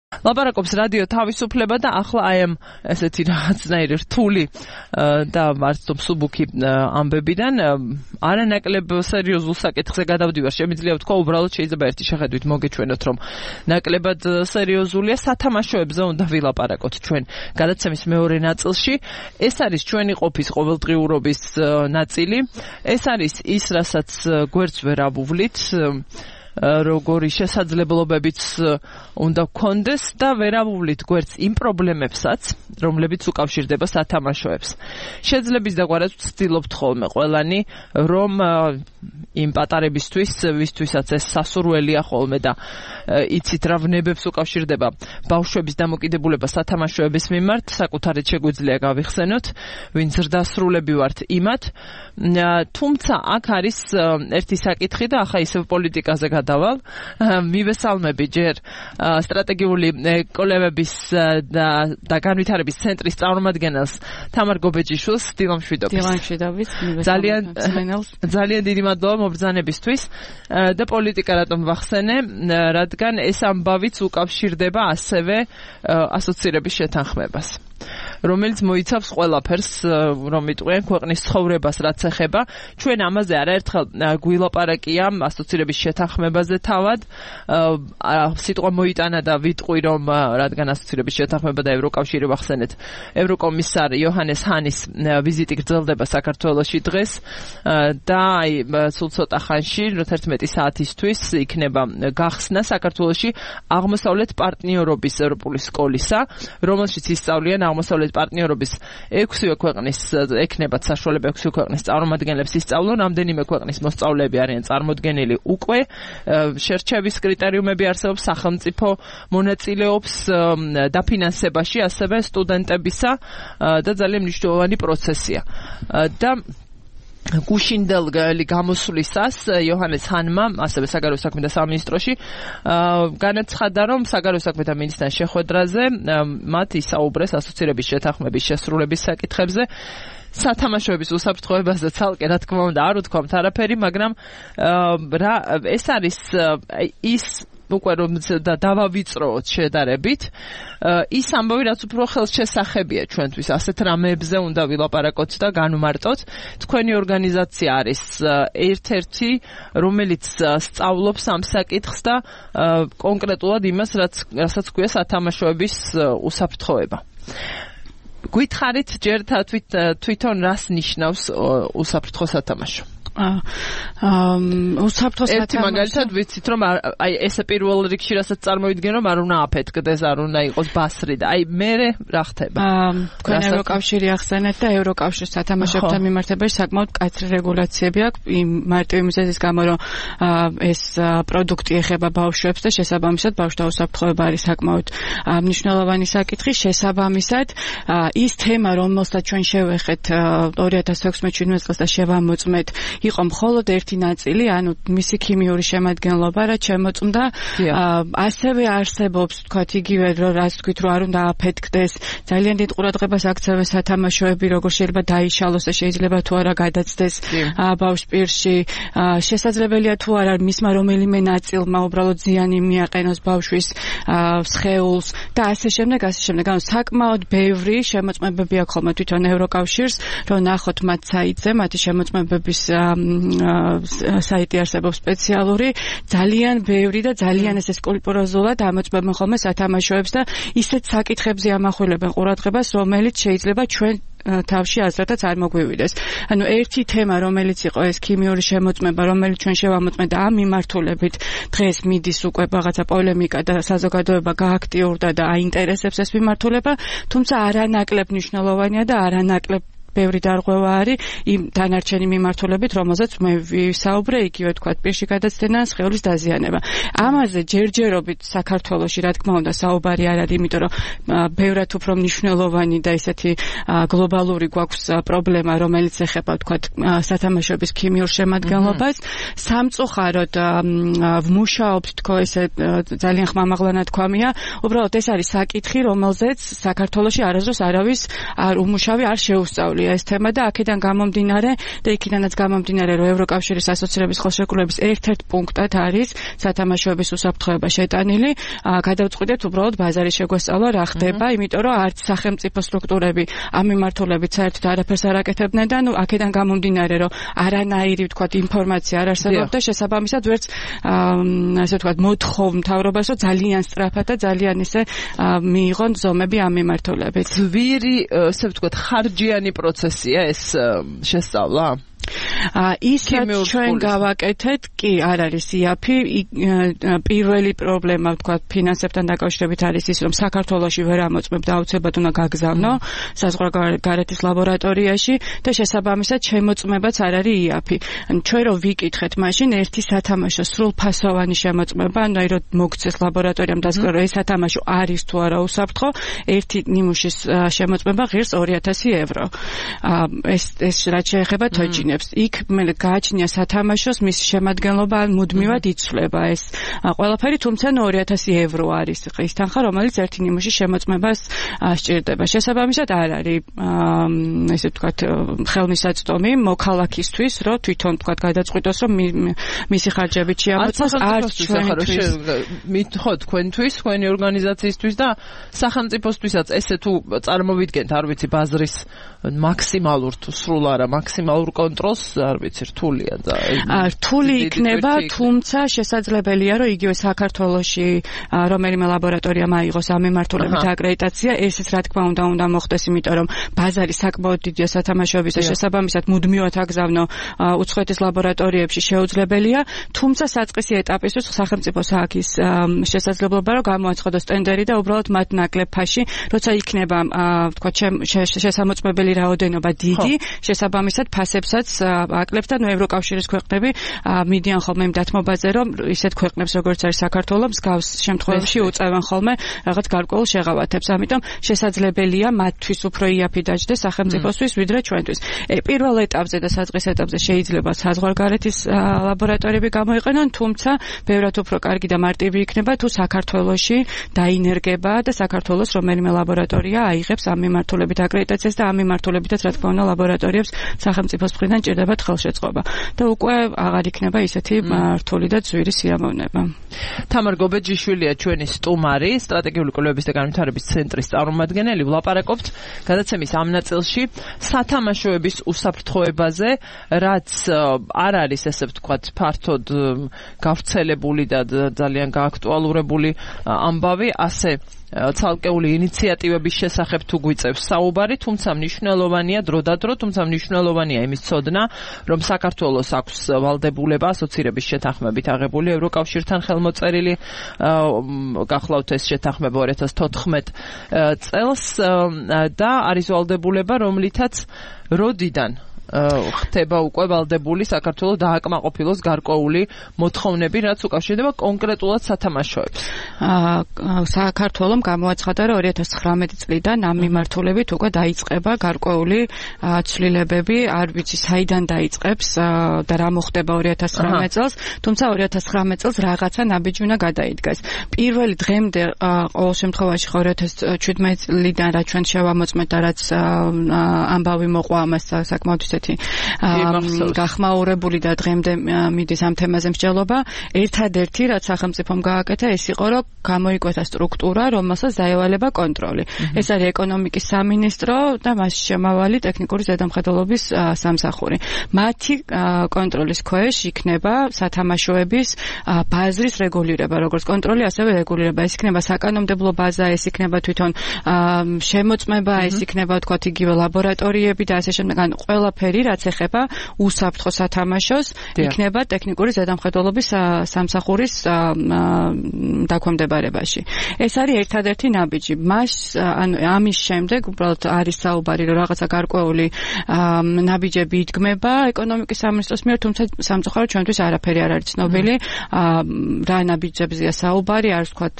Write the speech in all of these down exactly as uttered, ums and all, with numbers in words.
ლაპარაკობს რადიო თავისუფლება და ახლა აი ამ ესეთი რაღაცნაირი რთული და არც თუ მსუბუქი ამბებიდან არანაკლებ სერიოზულ საკითხზე გადავდივარ. შემიძლია ვთქვა, უბრალოდ შეიძლება ერთი შეხედვით მოგეჩვენოთ, რომ ნაკლებად სერიოზულია. სათამაშოებზე უნდა ვილაპარაკოთ ჩვენ გადაცემის მეორე ნაწილში. ეს არის ჩვენი ყოფის ყოველდღიურობის ნაწილი. ეს არის ის, რასაც გვერდს ვერ ავუვლით, როგორი შესაძლებლობებიც უნდა გქონდეს და ვერ ავუვლით გვერდს იმ პრობლემებსაც, რომლებიც უკავშირდება სათამაშოებს. შეძლების დაგვარად ვცდილობთ ხოლმე ყველანი, რომ იმ პატარებისთვის, ვისთვისაც ეს სასურველია ხოლმე და იცით რა ვნებებს უკავშირდება ბავშვების დამოკიდებულება სათამაშოების მიმართ, საკუთარად შეგვიძლია გავიხსენოთ, ვინც ზრდასრულები ვართ იმათ. თუმცა აქ არის ერთი საკითხი და ახლა ისევ პოლიტიკაზე გადავალ. მივესალმები ჯერ სტრატეგიული კოლევების და და განვითარების ცენტრის წარმომადგენელს თამარ გობეჯიშვილს, დილა მშვიდობის. დილა მშვიდობის. ძალიან ძალიან დიდი მადლობა მობრძანებისთვის და პოლიტიკა რატომ ვახსენე, რადგან ეს ამბავიც უკავშირდება ასევე ასოცირების შეთანხმებას, რომელიც მოიცავს ყველაფერს, რომ იტყვიან ქვეყნის ცხოვრებას, რაც ეხება. ჩვენ ამაზე არაერთხელ გვილაპარაკია ასოცირების შეთანხმებაზე თავად. სიტყვა მოიტანა და ვიტყვი, რომ რადგან ასოცირების შეთანხმება და ევროკავშირი ვახსენეთ, ევროკომისარ იოჰანეს ჰანის ვიზიტი გრძელდება საქართველოში დღეს და აი სულ ცოტა ხანში, თერთმეტი საათისთვის იქნება გახსნა საქართველოში აღმოსავლეთ პარტნიორობის ევროპული სკოლისა, რომელშიც ისწავლიან აღმოსავლეთ პარტნიორობის ექვსივე ქვეყნის ექნებათ საშუალება ექვსივე ქვეყნის წარმომადგენლებს ისწავლონ. რამდენიმე ქვეყნის მოსწავლეები არიან წარმოდგენილი უკვე. შერჩევის კრიტერიუმები არსებობს, სახელმწიფო მონაწილეობს დაფინანსებაში, ასევე სტუდენტებისა და ძალიან მნიშვნელოვანი პროცესია. და გუშინდელი გამოსვლისას იოჰანეს ჰანმა, ასევე საგარეო საქმეთა სამინისტროში, განაცხადა, რომ საგარეო საქმეთა მინისტრთან შეხვედრაზე მათ ისაუბრეს ასოცირების შეთანხმების შესრულების საკითხებზე. სათამაშოების უსაფრთხოებაზე ცალკე, რა თქმა უნდა, არ უთქვამთ არაფერი, მაგრამ ეს არის ის უკვე რომ დავავიწროოთ შედარებით, ის ამბავი, რაც უფრო ხელშესახებია ჩვენთვის, ასეთ რამეებზე უნდა ვილაპარაკოთ და განვმარტოთ. თქვენი ორგანიზაცია არის ერთ-ერთი, რომელიც სწავლობს ამ საკითხს და კონკრეტულად იმას, რასაც ქვია სათამაშოების უსაფრთხოება. გითხარით ჯერ თვითონ რას ნიშნავს უსაფრთხო სათამაშო? უსაფრთხო სათამაშო. ერთი მაგალითად ვიცით, რომ აი ესე პირველ რიგში რასაც წარმოვიდგენ, რომ არ უნდა აფეთქდეს, არ უნდა იყოს ბასრი და აი მერე რა ხდება? თქვენ ევროკავშირი ახსენეთ და ევროკავშირის სათამაშოებთან მიმართებაში საკმაოდ მკაცრი რეგულაციები აქვს, იმ მარტივი მიზეზის გამო, რომ ეს პროდუქტი ეხება ბავშვებს და შესაბამისად ბავშვთა უსაფრთხოება არის საკმაოდ მნიშვნელოვანი საკითხი. შესაბამისად ის თემა, რომელსაც ჩვენ შევეხეთ ორი ათას ექვსმეტ შვიდმეტ წელს და შევამოწმეთ, იყო მხოლოდ ერთი ნაწილი, ანუ მისი ქიმიური შემადგენლობა, რაც შემოწმდა. ასევე არსებობს, თქვათ, იგივე, რომ რაც თქვით, რომ არ უნდა აფეთქდეს, ძალიან დიდ ყურადღებას აქცევენ სათამაშოები, როგორ შეიძლება დაიშალოს და შეიძლება თუ არა გადაცდეს ბავშვ პირში. შესაძლებელია თუ არა მისმა რომელიმე ნაწილმა უბრალოდ ზიანი მიაყენოს ბავშვის სხეულს და ასე შემდეგ, ასე შემდეგ. ანუ საკმაოდ ბევრი შემოწმებები აქვს ხოლმე თვითონ ევროკავშირს, რომ ნახოთ მათ საიტზე, მათი შემოწმებების საიტი არსებობს სპეციალური, ძალიან ბევრი და ძალიან ესე სკრუპულოზულად ამოწმებენ ხოლმე სათამაშოებს და ისეთ საკითხებზე ამახვილებენ ყურადღებას, რომელიც შეიძლება ჩვენ თავში აზრადაც არ მოგვივიდეს. ანუ ერთი თემა, რომელიც იყო ეს ქიმიური შემოწმება, რომელიც ჩვენ შევამოწმეთ და ამ მიმართულებით დღეს მიდის უკვე რაღაცა პოლემიკა და საზოგადოება გააქტიურდა და აინტერესებს ეს მიმართულება, თუმცა არანაკლებ მნიშვნელოვანია და არანაკლებ ბევრი დარღვევა არის იმ დანარჩენი მიმართულებით, რომელზეც მე ვისაუბრე, იგივე თქვათ, პირში გადაცდენა, სხეულის დაზიანება. ამაზე ჯერჯერობით საქართველოში, რა თქმა უნდა, საუბარი არ არის, იმიტომ რომ ბევრად უფრო მნიშვნელოვანი და ისეთი გლობალური გვაქვს პრობლემა, რომელიც ეხება, თქვათ, სათამაშოების ქიმიურ შემადგენლობას. სამწუხაროდ ვმუშაობთ, თქო, ესე ძალიან ხმამაღლანად თქვამია, უბრალოდ ეს არის საკითხი, რომელზეც საქართველოში არასდროს არავის არ უმუშავი არ შეუსწავლია. აქტუალურია ეს თემა და აქედან გამომდინარე და იქიდანაც გამომდინარე რომ ევროკავშირის ასოცირების ხელშეკრულების ერთ-ერთ პუნქტად არის სათამაშოების უსაფრთხოება შეტანილი. გადავწყვიტეთ უბრალოდ ბაზარი შეგვესწავლა რა ხდება, იმიტომ რომ არც სახელმწიფო სტრუქტურები ამ მიმართულებით საერთოდ არაფერს არ აკეთებდნენ და ნუ აქედან გამომდინარე რომ არანაირი ვთქვათ ინფორმაცია არ არსებობდა შესაბამისად ვერც ასე ვთქვათ მოთხოვ მთავრობას რომ ძალიან სწრაფად და ძალიან ისე მიიღონ ზომები ამ მიმართულებით. ძვირი ასე ვთქვათ ხარჯიანი პროცესია ეს შესწავლა? ის რაც ჩვენ გავაკეთეთ, კი არ არის იაფი. პირველი პრობლემა ვთქვათ ფინანსებთან დაკავშირებით არის ის, რომ საქართველოში ვერ ამოწმებდა აუცილებლად უნდა გაგზავნო საზღვარგარეთის ლაბორატორიაში და შესაბამისად შემოწმებაც არ არის იაფი. ჩვენ რო ვიკითხეთ მაშინ ერთი სათამაშო სრულფასოვანი შემოწმება, ანუ აი რომ მოგცეს ლაბორატორიამ დასკვნა რომ ეს სათამაშო არის თუ არა უსაფრთხო, ერთი ნიმუშის შემოწმება ღირს ორი ათასი ევრო. ეს ეს რაც შეეხება თოჯინებს იქ მე გააჩნია სათამაშოს მის შემადგენლობა მუდმივად იცვლება ეს ყველაფერი, თუმცა ორი ათასი ევრო არის ის თანხა, რომელიც ერთი ნიმუშის შემოწმებას სჭირდება. შესაბამისად არ არის ესე ვთქვათ ხელმისაწვდომი მოქალაქისთვის, რომ თვითონ ვთქვათ გადაწყვიტოს, რომ მისი ხარჯებით შეამოწმოს, არც ჩვენთვის. მითხო თქვენთვის, თქვენი ორგანიზაციისთვის და სახელმწიფოსთვისაც ესე თუ წარმოვიდგენთ, არ ვიცი, ბაზრის მაქსიმალურ თუ სრულ არა მაქსიმალურ კონტროლს არ ვიცი, რთულია და რთული იქნება, თუმცა შესაძლებელია, რომ იგივე საქართველოში რომელიმე ლაბორატორიამ აიღოს ამ მიმართულებით აკრედიტაცია, ესეც რა თქმა უნდა უნდა მოხდეს, იმიტომ რომ ბაზარი საკმაოდ დიდია სათამაშოების და შესაბამისად მუდმივად აგზავნო უცხოეთის ლაბორატორიებში შეუძლებელია, თუმცა საწყისი ეტაპისთვის სახელმწიფოს აქვს შესაძლებლობა, რომ გამოაცხადოს ტენდერი და უბრალოდ მათ ნაკლებ ფაში, როცა იქნება ვთქვათ შესამოწმებელი რაოდენობა დიდი, შესაბამისად ფასებსაც აკლებთ და ნუ ევროკავშირის ქვეყნები მიდიან ხოლმე იმ დათმობაზე, რომ ისეთ ქვეყნებს როგორც არის საქართველო მსგავს შემთხვევებში უწევენ ხოლმე რაღაც გარკვეულ შეღავათებს. ამიტომ შესაძლებელია მათთვის უფრო იაფი დაჯდეს სახელმწიფოსთვის ვიდრე ჩვენთვის. პირველ ეტაპზე და საწყის ეტაპზე შეიძლება საზღვარგარეთის ლაბორატორიები გამოიყენონ, თუმცა ბევრად უფრო კარგი და მარტივი იქნება თუ საქართველოში დაინერგება და საქართველოს რომელიმე ლაბორატორია აიღებს ამ მიმართულებით აკრედიტაციას და ამ მიმართულებითაც რა თქმა უნდა ლაბორატორიებს სახელმწიფოს მხრიდან ჭირდებათ ხელშეწყობა და უკვე აღარ იქნება ისეთი რთული და ძვირი სიამოვნება. თამარ გობეჯიშვილია ჩვენი სტუმარი, სტრატეგიული კვლევების და განვითარების ცენტრის წარმომადგენელი. ვლაპარაკობთ გადაცემის ამ ნაწილში სათამაშოების უსაფრთხოებაზე, რაც არ არის ესე ვთქვათ ფართოდ გავრცელებული და ძალიან გააქტუალურებული ამბავი, ასე ცალკეული ინიციატივების შესახებ თუ გვიწევს საუბარი, თუმცა მნიშვნელოვანია დროდადრო, თუმცა მნიშვნელოვანია იმის ცოდნა, რომ საქართველოს აქვს ვალდებულება ასოცირების შეთანხმებით აღებული ევროკავშირთან ხელმოწერილი, გახლავთ ეს შეთანხმება ორი ათას თოთხმეტ წელს და არის ვალდებულება, რომლითაც როდიდან ხდება უკვე ვალდებული საქართველოს დააკმაყოფილოს გარკვეული მოთხოვნები, რაც უკავშირდება კონკრეტულად სათამაშოებს. საქართველოს გამოაცხადა, რომ ორი ათას ცხრამეტი წლიდან ამ მიმართულებით უკვე დაიწყება გარკვეული ცვლილებები, არ ვიცი საიდან დაიწყებს და რა მოხდება ორი ათას ცხრამეტ წელს, თუმცა ორი ათას ცხრამეტ წელს რაღაცა ნაბიჯი უნდა გადაიდგას. პირველი დღემდე ყოველ შემთხვევაში ორი ათას შვიდმეტ წლიდან რაც ჩვენ შევამოწმეთ და რაც ამბავი მოყვა ამას საკმაოდ გახმაურებული და დღემდე მიდის ამ თემაზე მსჯელობა. ერთადერთი რაც სახელმწიფომ გააკეთა ეს იყო, რომ გამოიკვეთა სტრუქტურა, რომელსაც დაევალება კონტროლი. ეს არის ეკონომიკის სამინისტრო და მასში შემავალი ტექნიკური ზედამხედველობის სამსახური. მათი კონტროლის ქვეშ იქნება სათამაშოების ბაზრის რეგულირება, როგორც კონტროლი, ასევე რეგულირება. ეს იქნება საკანონმდებლო ბაზა, ეს იქნება თვითონ შემოწმება, ეს იქნება თქვათ იგივე ლაბორატორიები და ასე შემდეგ. ან ყველაფერი რაც ეხება უსაფრთხო სათამაშოს, იქნება ტექნიკური ზედამხედველობის სამსახურის დაქვემდებარებაში. ეს არის ერთადერთი ნაბიჯი. მას ანუ ამის შემდეგ უბრალოდ არის საუბარი, რომ რაღაცა გარკვეული ნაბიჯები იდგმება ეკონომიკის სამინისტროს მიერ, თუმცა სამწუხაროდ ჩვენთვის არაფერი არ არის ცნობილი. რა ნაბიჯებზეა საუბარი, არის ვთქვათ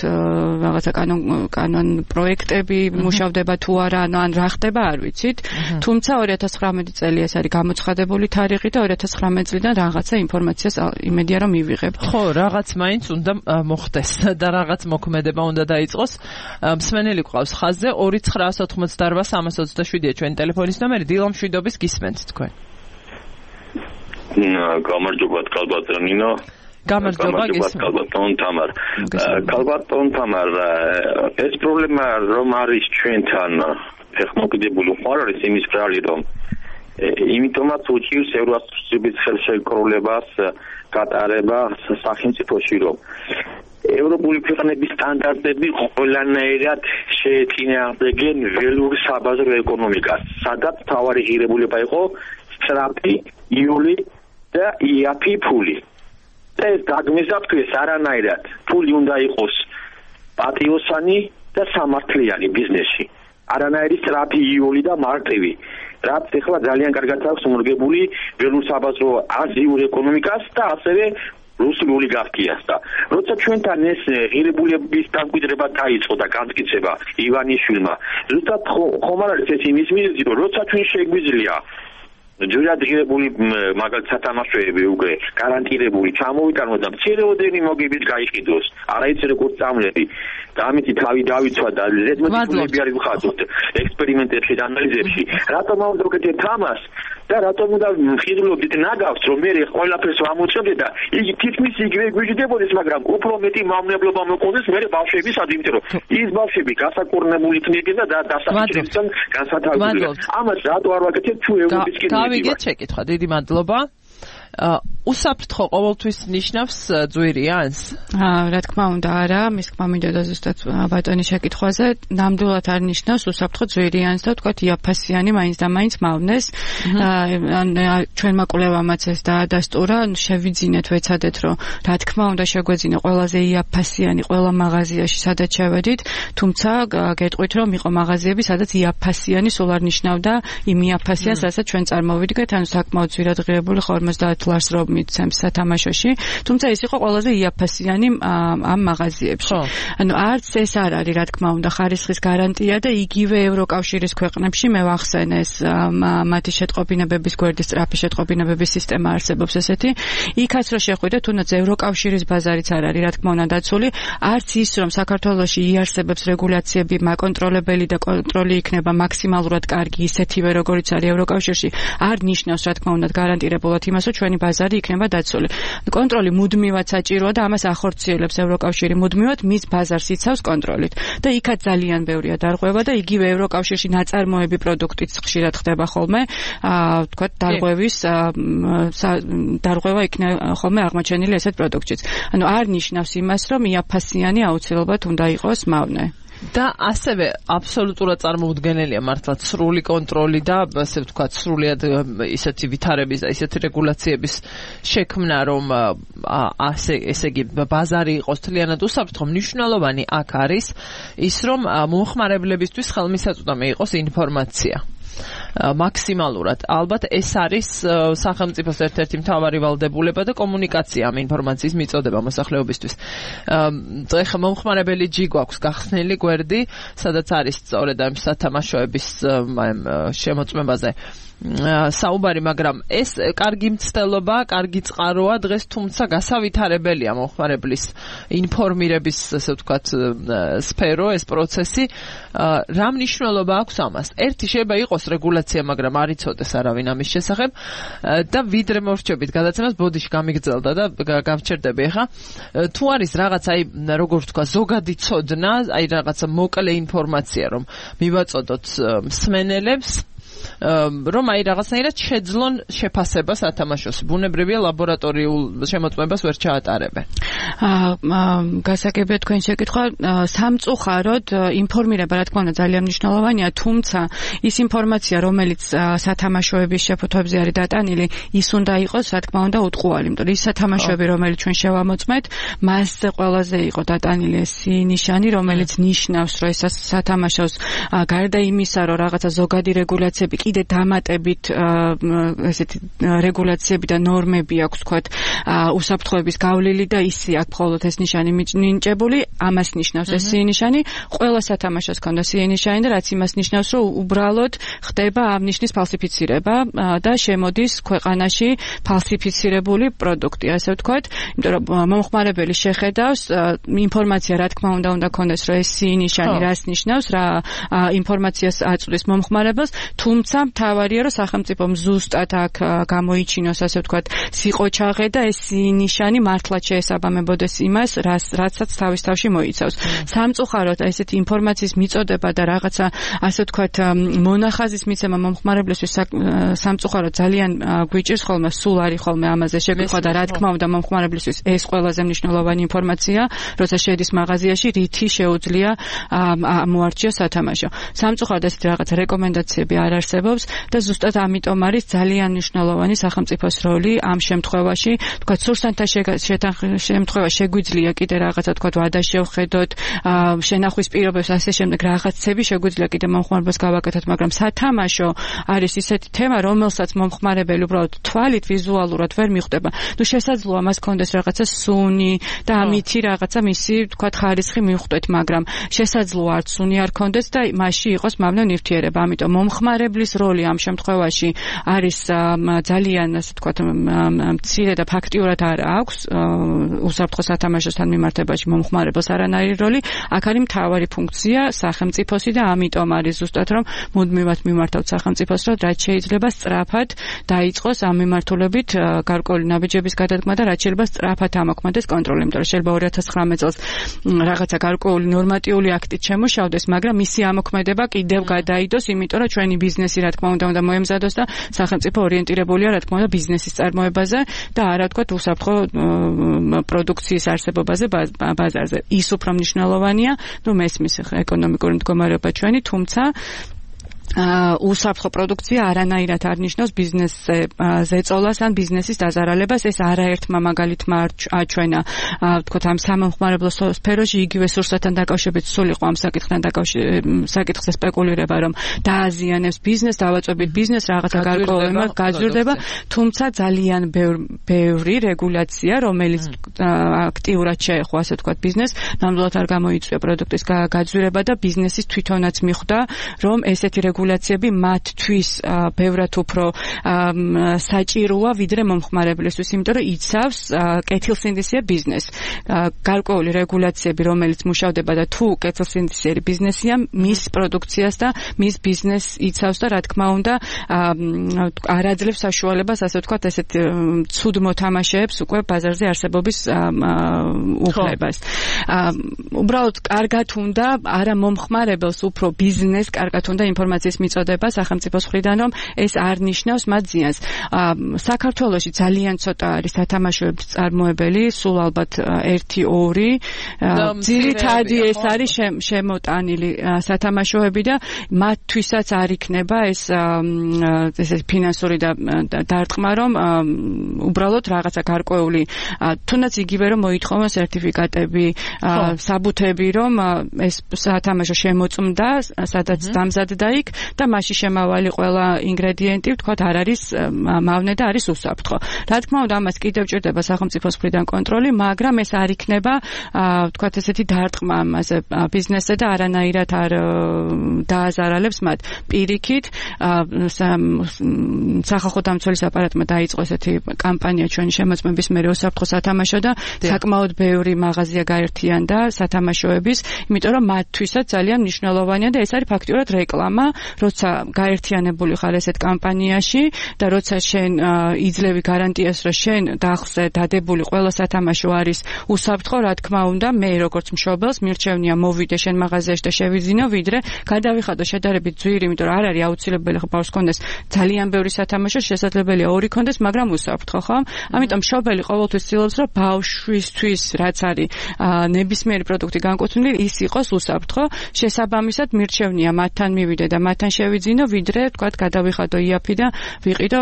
რაღაცა კანონ კანონ პროექტები მუშავდება თუ არა, ან რა ხდება არ ვიცით. თუმცა ორი ათას ცხრამეტი წელი ეს არის გამოცხადებული თარიღი და ორი ათას ცხრამეტი წლიდან რაღაცა ინფორმაციას იმედია რომ მივიღებ. ხო, რაღაც მაინც უნდა მოხდეს და რაღაც მოქმედება უნდა დაიწყოს. მსმენელი ყავს ხაზზე ორი ცხრაას ოთხმოცდაორვა სამას ოცდაშვიდია ჩვენი ტელეფონის ნომერი. დილა მშვიდობის გისმენთ თქვენ. გამარჯობა კალბატონ ნინო. გამარჯობა გისმენთ. კალბატონ თამარ. კალბატონ თამარ, ეს პრობლემა რომ არის ჩვენთან ტექნოლოგიებული ხარ არის იმის ბრალი რომ იმიტომაც უჭირს ევროსაბის ხელშეკრულებას გატარება სახელმწიფოში რომ ევროპული ქვეყნების სტანდარტები ყველანაირად შეეწინააღმდეგენ ველურ საბაზრო ეკონომიკას, სადაც თავარი ღირებულება იყო სწრაფი იული და იაფი ფული. და ეს გაგმიზაფქვეს არანაირად ფული უნდა იყოს პატიოსანი და სამართლიანი ბიზნესში. არანაირი სწრაფი იული და მარტივი. რაც ეხლა ძალიან კარგად აქვს მორგებული ველურ საბაზრო აზიურ ეკონომიკას და ასევე რუსული ოლიგარქიას და როცა ჩვენთან ეს ღირებულების დამკვიდრება დაიწყო და განმტკიცება ივანიშვილმა, ზუსტად ხომ არ არის ეს იმის მიზეზი, რომ როცა ჩვენ შეგვიძლია ჯერად ღირებული მაგალითად სათამაშოები უკვე გარანტირებული ჩამოვიტანოთ და მცირეოდენი მოგებით გაიყიდოს, არაიც როგორც წამლები და ამით თავი დავიცვა და ზედმეტი არის მხატვრობთ ექსპერიმენტებში და ანალიზებში. რატომ ავდროგეთ ამას და რატომ უნდა ხირულობდით ნაგავს, რომ მე ყველაფერს ვამოწმებდე და იგი თითქმის იგივე გვიჯდებოდეს, მაგრამ უფრო მეტი მავნებლობა მოყოლდეს მე ბავშვების ადიმით, რომ ის ბავშვები გასაკურნებული იქნებიან და დასახლებებთან განსათავებელია. ამას რატო არ ვაკეთებ თუ ევროპის კიდე დავიგეთ შეკითხვა. დიდი მადლობა. უსაფრთხო ყოველთვის ნიშნავს ძვირიანს? რა თქმა უნდა არა, მის თქმა მინდოდა ზუსტად ბატონის შეკითხვაზე, ნამდვილად არ ნიშნავს უსაფრთხო ძვირიანს და თქვათ იაფასიანი მაინც და მაინც მავნეს. ჩვენმა კვლევამაც ეს დაადასტურა, შევიძინეთ, ვეცადეთ, რომ რა თქმა უნდა შეგვეძინა ყველაზე იაფასიანი ყველა მაღაზიაში, სადაც შევედით, თუმცა გეტყვით, რომ იყო მაღაზიები, სადაც იაფასიანი სულ არ ნიშნავდა იმ იაფასიანს, რასაც ჩვენ წარმოვიდგეთ, ანუ საკმაოდ ძვირად ღირებული ორმოცდაათ ლარს რომ მიცემს სათამაშოში, თუმცა ეს იყო ყველაზე იაფასიანი ამ მაღაზიებში. ანუ არც ეს არ არის, რა თქმა უნდა, ხარისხის გარანტია და იგივე ევროკავშირის ქვეყნებში მე ვახსენე ეს მათი შეტყობინებების გვერდის სწრაფი შეტყობინებების სისტემა არსებობს ესეთი. იქაც რო შეხვიდეთ, თუნდაც ევროკავშირის ბაზარიც არ არის, რა თქმა უნდა, დაცული, არც ის რომ საქართველოში იარსებებს რეგულაციები, მაკონტროლებელი და კონტროლი იქნება მაქსიმალურად კარგი, ისეთივე როგორიც არის ევროკავშირში, არ ნიშნავს, რა თქმა უნდა, გარანტირებულად იმას, რომ ჩვენი ბაზარი იქნება დაცული. კონტროლი მუდმივად საჭიროა და ამას ახორციელებს ევროკავშირი მუდმივად მის ბაზარს იცავს კონტროლით. და იქაც ძალიან ბევრია დარღვევა და იგივე ევროკავშირში ნაწარმოები პროდუქტიც ხშირად ხდება ხოლმე, აა თქვა დარღვევის დარღვევა იქნება ხოლმე აღმოჩენილი ესეთ პროდუქტშიც. ანუ არ ნიშნავს იმას, რომ იაფასიანი აუცილებლად უნდა იყოს მავნე. და ასევე აბსოლუტურად წარმოუდგენელია მართლა სრული კონტროლი და ასე ვთქვათ სრულიად ისეთი ვითარების და ისეთი რეგულაციების შექმნა რომ ასე ესე იგი ბაზარი იყოს თლიანად უსაფრთხო. მნიშვნელოვანი აქ არის ის რომ მომხმარებლებისთვის ხელმისაწვდომი იყოს ინფორმაცია მაქსიმალურად. ალბათ ეს არის სახელმწიფოს ერთ-ერთი მთავარი ვალდებულება და კომუნიკაცია ამ ინფორმაციის მიწოდება მოსახლეობისთვის. ეხლა მომხმარებელი ჯი გვაქვს გახსნილი გვერდი, სადაც არის სწორედ ამ სათამაშოების შემოწმებაზე საუბარი, მაგრამ ეს კარგი მცდელობა, კარგი წყაროა დღეს, თუმცა გასავითარებელია მომხმარებლის ინფორმირების, ასე ვთქვათ, სფერო, ეს პროცესი. რა მნიშვნელობა აქვს ამას? ერთი შეიძლება იყოს რეგულაცია, მაგრამ არ იცოდეს არავინ ამის შესახებ და ვიდრე მორჩებით გადაცემას ბოდიში გამიგრძელდა და გავჩერდები ახლა. თუ არის რაღაც, აი, როგორ ვთქვა, ზოგადი ცოდნა, აი რაღაცა მოკლე ინფორმაცია, რომ მივაწოდოთ მსმენელებს, რომ აი რაღაცნაირად შეძლონ შეფასება სათამაშოს. ბუნებრივია ლაბორატორიულ შემოწმებას ვერ ჩაატარებენ. აა გასაგებია თქვენ შეკითხვა, სამწუხაროდ ინფორმირება რა თქმა უნდა ძალიან მნიშვნელოვანია, თუმცა ის ინფორმაცია, რომელიც სათამაშოების შეფუთვებზე არის დატანილი, ის უნდა იყოს რა თქმა უნდა უტყუარი, იმიტომ რომ ის სათამაშოები, რომელიც ჩვენ შევამოწმეთ, მასზე ყველაზე იყო დატანილი ეს ნიშანი, რომელიც ნიშნავს, რომ ეს სათამაშოს გარდა იმისა, რომ რაღაცა ზოგადი რეგულაციები ფინანსები კიდე დამატებით ესეთი რეგულაციები და ნორმები აქვს თქვათ უსაფრთხოების გავლილი და ისე აქ მხოლოდ ეს ნიშანი მინიჭებული, ამას ნიშნავს ეს სი ნიშანი, ყველა სათამაშოს ქონდა სი ნიშანი და რაც იმას ნიშნავს, რომ უბრალოდ ხდება ამ ნიშნის ფალსიფიცირება და შემოდის ქვეყანაში ფალსიფიცირებული პროდუქტი, ასე ვთქვათ, იმიტომ რომ მომხმარებელი შეხედავს ინფორმაცია რა თქმა უნდა უნდა ქონდეს, რომ ეს სი ნიშანი რას ნიშნავს, რა ინფორმაციას აწვდის მომხმარებელს, თუმცა მთავარია, რომ სახელმწიფომ ზუსტად აქ გამოიჩინოს, ასე ვთქვათ, სიყოჩაღე და ეს სი ნიშანი მართლაც შეესაბამებოდეს იმას, რაცაც თავის თავში მოიცავს. სამწუხაროდ ესეთი ინფორმაციის მიწოდება და რაღაცა, ასე ვთქვათ, მონახაზის მიცემა მომხმარებლისთვის სამწუხაროდ ძალიან გვიჭირს ხოლმე, სულ არის ხოლმე ამაზე შეგვიხვა და რა თქმა უნდა მომხმარებლისთვის ეს ყველაზე მნიშვნელოვანი ინფორმაცია, როცა შედის მაღაზიაში, რითი შეუძლია მოარჩიოს სათამაშო. სამწუხაროდ ესეთი რაღაცა რეკომენდაციები არ არსებობს და ზუსტად ამიტომ არის ძალიან მნიშვნელოვანი სახელმწიფოს როლი ამ შემთხვევაში. თქვათ, სურსანთა შემთხვევა შეგვიძლია კიდე რაღაცა თქვათ ვადა შევხედოთ, შენახვის პირობებს ასე შემდეგ რაღაცები შეგვიძლია კიდე მომხმარებელს გავაკეთოთ, მაგრამ სათამაშო არის ისეთი თემა, რომელსაც მომხმარებელი უბრალოდ თვალით ვიზუალურად ვერ მიხვდება. ნუ შესაძლოა მას კონდეს რაღაცა სუნი და ამითი რაღაცა მისი თქვათ ხარისხი მიხვდეთ, მაგრამ შესაძლოა არც სუნი არ კონდეს და მასში იყოს მავნე ნივთიერება. ამიტომ მომხმარებლის როლი ამ შემთხვევაში არის ძალიან ასე თქვათ მცირე და ფაქტიურად არ აქვს უსაფრთხო სათამაშოსთან მიმართებაში მომხმარებელს არანაირი როლი. აქ არის მთავარი ფუნქცია სახელმწიფოსი და ამიტომ არის ზუსტად რომ მუდმივად მიმართავთ სახელმწიფოს, რომ რაც შეიძლება სწრაფად დაიწყოს ამ მიმართულებით გარკვეული ნაბიჯების გადადგმა და რაც შეიძლება სწრაფად ამოქმედდეს კონტროლი, იმიტომ რომ შეიძლება ორი ათას ცხრამეტ წელს რაღაცა გარკვეული ნორმატიული აქტით შემოშავდეს, მაგრამ მისი ამოქმედება კიდევ გადაიდოს, იმიტომ რომ ჩვენი ბიზნესი რა თქმა უნდა უნდა მოემზადოს და სახელმწიფო ორიენტირებულია რა თქმა უნდა ბიზნესის წარმოებაზე და არა ვთქვათ უსაფრთხო პროდუქციის არსებობაზე ბაზარზე. ის უფრო მნიშვნელოვანია, ნუ მესმის ეკონომიკური მდგომარეობა ჩვენი, თუმცა უსაფრთხო პროდუქცია არანაირად არ ნიშნავს ბიზნესზე ზეწოლას ან ბიზნესის დაზარალებას. ეს არაერთმა მაგალითმა აჩვენა ვთქვათ ამ სამომხმარებლო სფეროში, იგივე სურსათთან დაკავშირებით სულ იყო ამ საკითხთან დაკავშირებით საკითხზე სპეკულირება, რომ დააზიანებს ბიზნესს, დავაწვევით ბიზნესს, რაღაცა გარკვეული გაძვირდება, თუმცა ძალიან ბევრი რეგულაცია, რომელიც აქტიურად შეეხო, ასე ვთქვათ, ბიზნესს, ნამდვილად არ გამოიწვია პროდუქტის გაძვირება და ბიზნესის თვითონაც მიხვდა, რომ ესეთი რეგულაციები მათთვის ბევრად უფრო საჭიროა ვიდრე მომხმარებლისთვის, იმიტომ რომ იცავს კეთილსინდისიერ ბიზნესს. გარკვეული რეგულაციები, რომელიც მუშავდება და თუ კეთილსინდისიერი ბიზნესია, მის პროდუქციას და მის ბიზნესს იცავს და რა თქმა უნდა არ აძლევს საშუალებას, ასე ვთქვათ, ესეთ ცუდ მოთამაშეებს უკვე ბაზარზე არსებობის უფლებას. უბრალოდ კარგად უნდა არა მომხმარებელს, უფრო ბიზნესს კარგად უნდა ინფორმაციის მიწოდება სახელმწიფოს მხრიდან, რომ ეს არ ნიშნავს მათ ზიანს. საქართველოში ძალიან ცოტა არის სათამაშოების წარმოებელი, სულ ალბათ ერთი ორი. ძირითადი ეს არის შემოტანილი სათამაშოები და მათთვისაც არ იქნება ეს ესეთი ფინანსური დარტყმა, რომ უბრალოდ რაღაცა გარკვეული თუნდაც იგივე რომ მოითხოვონ სერტიფიკატები, საბუთები, რომ ეს სათამაშო შემოწმდა, სადაც დამზადდა იქ და მასში შემავალი ყველა ინგრედიენტი ვთქვათ არ არის მავნე და არის უსაფრთხო. რა თქმა უნდა ამას კიდევ ჭირდება სახელმწიფოს მხრიდან კონტროლი, მაგრამ ეს არ იქნება ვთქვათ ესეთი დარტყმა ამაზე ბიზნესზე და არანაირად არ დააზარალებს მათ. პირიქით სახალხო დამცველის აპარატმა დაიწყო ესეთი კამპანია ჩვენი შემოწმების მერე უსაფრთხო სათამაშო და საკმაოდ ბევრი მაღაზია გაერთიანდა სათამაშოების, იმიტომ რომ მათთვისაც ძალიან მნიშვნელოვანია და ეს არის ფაქტიურად რეკლამა, როცა გაერთიანებული ხარ ესეთ კამპანიაში და როცა შენ იძლევი გარანტიას, რომ შენ დახზე დადებული ყველა სათამაშო არის უსაფრთხო, რა თქმა უნდა, მე როგორც მშობელს მირჩევნია მოვიდე შენ მაღაზიაში და შევიძინო, ვიდრე გადავიხადო შედარებით ძვირი, იმიტომ რომ არ არის აუცილებელი ხო ბავშვს კონდეს ძალიან ბევრი სათამაშო, შესაძლებელია ორი კონდეს, მაგრამ უსაფრთხო, ხო? ამიტომ მშობელი ყოველთვის ცდილობს, რომ ბავშვისთვის რაც არის ნებისმიერი პროდუქტი განკუთვნილი, ის იყოს უსაფრთხო. შესაბამისად მირჩევნია მათთან მივიდე და მათთან შევიძინო, ვიდრე თქვათ გადავიხადო იაფი და ვიყიდო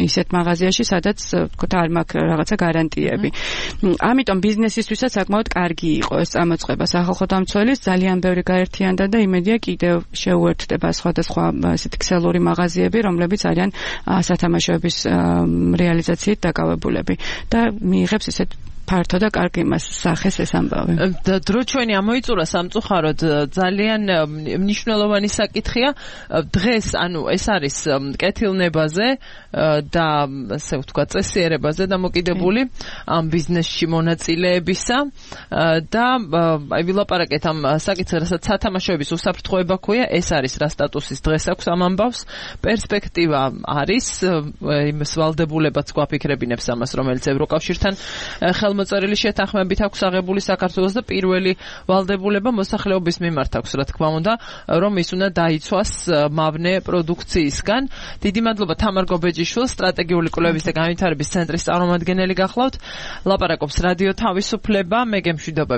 ისეთ მაღაზიაში, სადაც თქვათ არ მაქვს რაღაცა გარანტიები. ამიტომ ბიზნესისთვისაც საკმაოდ კარგი იყო ეს წამოწყება სახალხო დამცველის, ძალიან ბევრი გაერთიანდა და იმედია კიდევ შეუერთდება სხვადასხვა ესეთი ქსელური მაღაზიები, რომლებიც არიან სათამაშოების რეალიზაციით დაკავებულები და მიიღებს ესეთ ფართო და კარგი მას სახეს ეს ამბავი. და დრო ჩვენი ამოიწურა სამწუხაროდ ძალიან მნიშვნელოვანი საკითხია. დღეს ანუ ეს არის კეთილნებაზე და ასე ვთქვათ წესიერებაზე დამოკიდებული ამ ბიზნესში მონაწილეებისა და აი ვილაპარაკეთ ამ საკითხზე, რასაც სათამაშოების უსაფრთხოება ქვია, ეს არის რა სტატუსის დღეს აქვს ამ ამბავს. პერსპექტივა არის, იმის ვალდებულებაც გვაფიქრებინებს ამას, რომელიც ევროკავშირთან მოწერილი შეთანხმებით აქვს აღებული საქართველოს და პირველი ვალდებულება მოსახლეობის მიმართ აქვს, რა თქმა უნდა, რომ ის უნდა დაიცვას მავნე პროდუქციისგან. დიდი მადლობა თამარ გობეჯიშვილს, სტრატეგიული კვლევების და განვითარების ცენტრის წარმომადგენელი გახლავთ. ლაპარაკობს რადიო თავისუფლება, მე გემშვიდობები.